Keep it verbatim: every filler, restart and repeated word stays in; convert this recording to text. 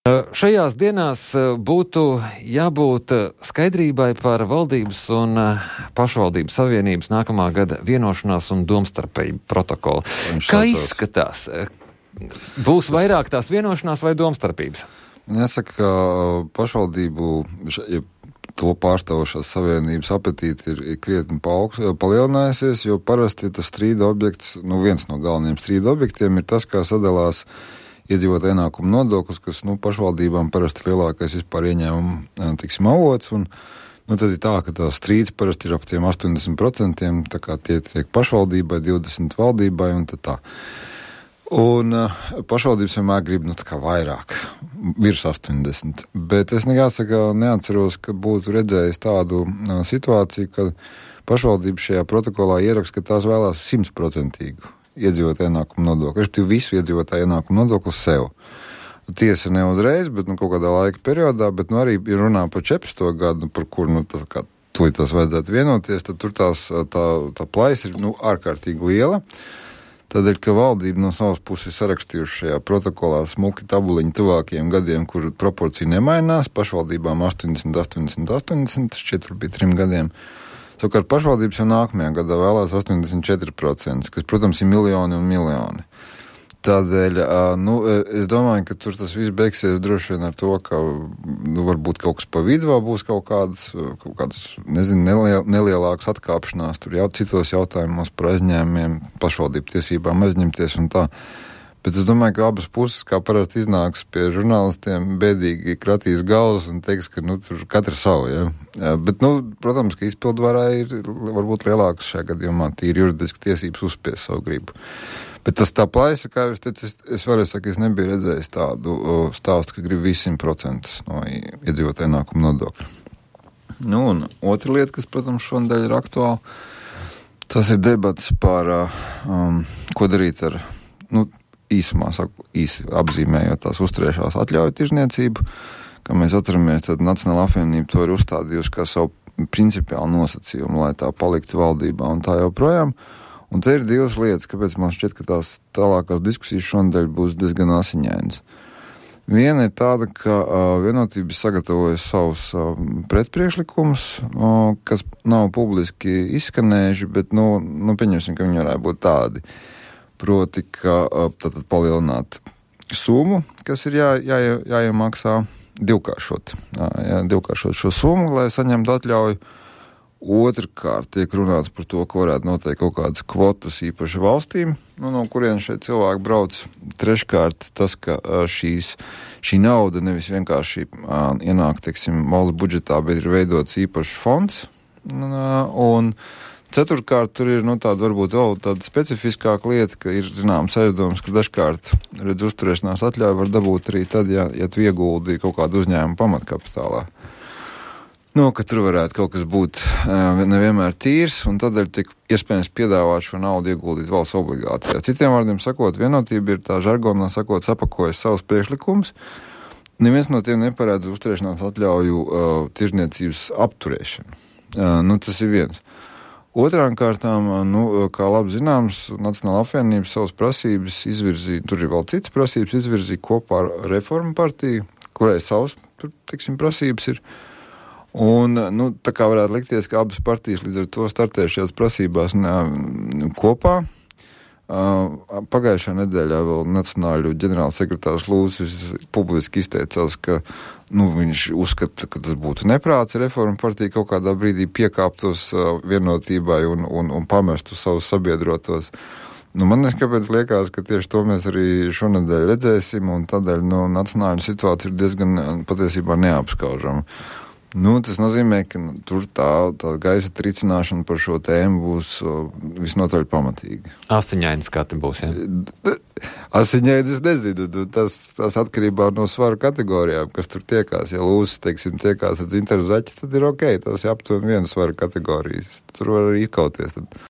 Šajās dienās būtu jābūt skaidrībai par valdības un pašvaldības savienības nākamā gada vienošanās un domstarpību protokolu. Kā izskatās? Būs vairāk tās vienošanās vai domstarpības? Jāsaka, ka pašvaldību ja to pārstāvošās savienības apetīti ir krietni palielinājusies, jo parasti tas strīda objekts, nu viens no galvenajiem strīda objektiem ir tas, kā sadalās iedzīvotāju ienākumu nodoklis, kas, nu, pašvaldībām parasti lielākais vispār ieņēmumu, tiksim, avots, un, nu, tad ir tā, ka tā strīds parasti ir ap tiem astoņdesmit procentiem, tā kā tie tiek pašvaldībai, divdesmit valdībai, un tad tā. Un uh, pašvaldības vienmēr grib, nu, tā kā vairāk, virs astoņdesmit, bet es jāsaka, neatceros, ka būtu redzējis tādu uh, situāciju, ka pašvaldība šajā protokolā ieraksta, ka tās vēlās simtprocentīgu iedzīvotāju ienākumu nodokli, respektīvi visu iedzīvotāju ienākumu nodokli sev. Tiesa ne uzreiz, bet nu kaut kādā laika periodā, bet nu arī ir runā par četrpadsmito gadu, par kur nu tas, kā tūlīt tas vajadzētu vienoties, tad tur tās, tā, tā plaisa ir nu ārkārtīgi liela. Tādēļ, ka valdība no savas puses sarakstījuši šajā protokolā smuki tabuliņu tuvākajiem gadiem, kur proporcija nemainās, pašvaldībām astoņdesmit, astoņdesmit, astoņdesmit, šķiet bija trim gadiem. Savukārt pašvaldības jau nākamajā gadā vēlās astoņdesmit četri procenti, kas, protams, ir miljoni un miljoni. Tādēļ, nu, es domāju, ka tur tas viss beigsies droši vien ar to, ka, nu, varbūt kaut kas pa vidu vēl būs kaut kādas, kaut kādas, nezinu, neliel, nelielākas atkāpšanās, tur jau citos jautājumos par aizņēmumiem, pašvaldību tiesībām aizņemties un tā. Bet es domāju, ka abas puses, kā parasti iznāks pie žurnālistiem, bēdīgi kratīs galvas un teiks, ka, nu, tur katra savu, ja. Jā, bet, nu, protams, ka izpildvarā ir varbūt lielākas šajā gadījumā tīri juridiski tiesības uzspiest savu gribu. Bet tas tā plaisa, kā jau es teicu, es, es varēju saka, es nebiju redzējis tādu uh, stāstu, ka grib visu simt procentus no iedzīvotāju ienākumu nodokļa. Nu, un otra lieta, kas, protams, šonadēļ ir aktuāla, tas ir debats par, uh, um, ko darīt ar, nu, īsumā, saku, īsi apzīmējot tās uzturēšās atļauju tirzniecību, kā mēs atceramies, tad Nacionālā apvienība to ir uzstādījusi kā savu principiālu nosacījumu, lai tā paliktu valdībā un tā joprojām. Un te ir divas lietas, kāpēc man šķiet, ka tās tālākās diskusijas šonadēļ būs diezgan asiņainas. Viena ir tāda, ka uh, vienotības sagatavojas savus uh, pretpriekšlikumus, uh, kas nav publiski izskanējuši, bet, nu, nu pieņemsim, ka viņi varētu būt tādi. Proti, ka tātad palielināt summu, kas ir jā, jā, jāiemaksā, divkāršot, jā, jā, divkāršot šo summu, lai saņemtu atļauju. Otrkārt tiek runāts par to, ka varētu noteikt kaut kādas kvotas īpaši valstīm, nu, no kurien šeit cilvēki brauc. Treškārt tas, ka šīs, šī nauda nevis vienkārši ienāk, teiksim, valsts budžetā, bet ir veidots īpašs fonds. Un ceturkārt, tur ir, nu, tāda varbūt vēl tāda specifiskāka lieta, ka ir, zināms, aizdoms, ka dažkārt, redz, uzturēšanās atļauju var dabūt arī tad, ja, ja tu ieguldi kaut kādu uzņēmumu pamatkapitālā. Nu, ka tur varētu kaut kas būt nevienmēr tīrs, un tādēļ tiek iespējams piedāvāt šo naudu ieguldīt valsts obligācijās. Citiem vārdiem sakot, vienotība ir tā žargonā sakot, sapakojas savus priekšlikumus. Neviens no tiem neparēdz uzturēšanās atļauju uh, tirzniecības apturēšanu. Uh, nu, tas ir viens. Otrām kārtām, nu, kā labi zināms, Nacionālā apvienība savas prasības izvirzīja, tur ir vēl citas prasības, izvirzīja kopā ar Reformu partiju, kurai savas, tur, teiksim, prasības ir. Un, nu, tā kā varētu likties, ka abas partijas līdz ar to startē šajās prasībās ne, kopā. Pagājušā nedēļā vēl Nacionāļu ģenerāls sekretārs Lūsis publiski izteicās, ka, nu, viņš uzskata, ka tas būtu neprāts Reformu partija kaut kādā brīdī piekāptos vienotībai un, un, un pamestu savus sabiedrotos. Nu, man neskapēc liekas, ka tieši to mēs arī šonadēļ redzēsim, un tādēļ, nu, Nacionāļu situācija ir diezgan patiesībā neapskaužama. Nu, tas nozīmē, ka nu, tur tā, tā gaisa tricināšana par šo tēmu būs uh, visnotaļ pamatīga. Asiņainas kā te būs, ja? Asiņainas es nezinu, tas, tas atkarībā no svaru kategorijām, kas tur tiekās. Ja Lūsis, teiksim, tiekās ar dzintaru zaķi, tad ir ok, tas ir aptuveni viena svaru kategorijas. Tur var arī izkauties. Tad.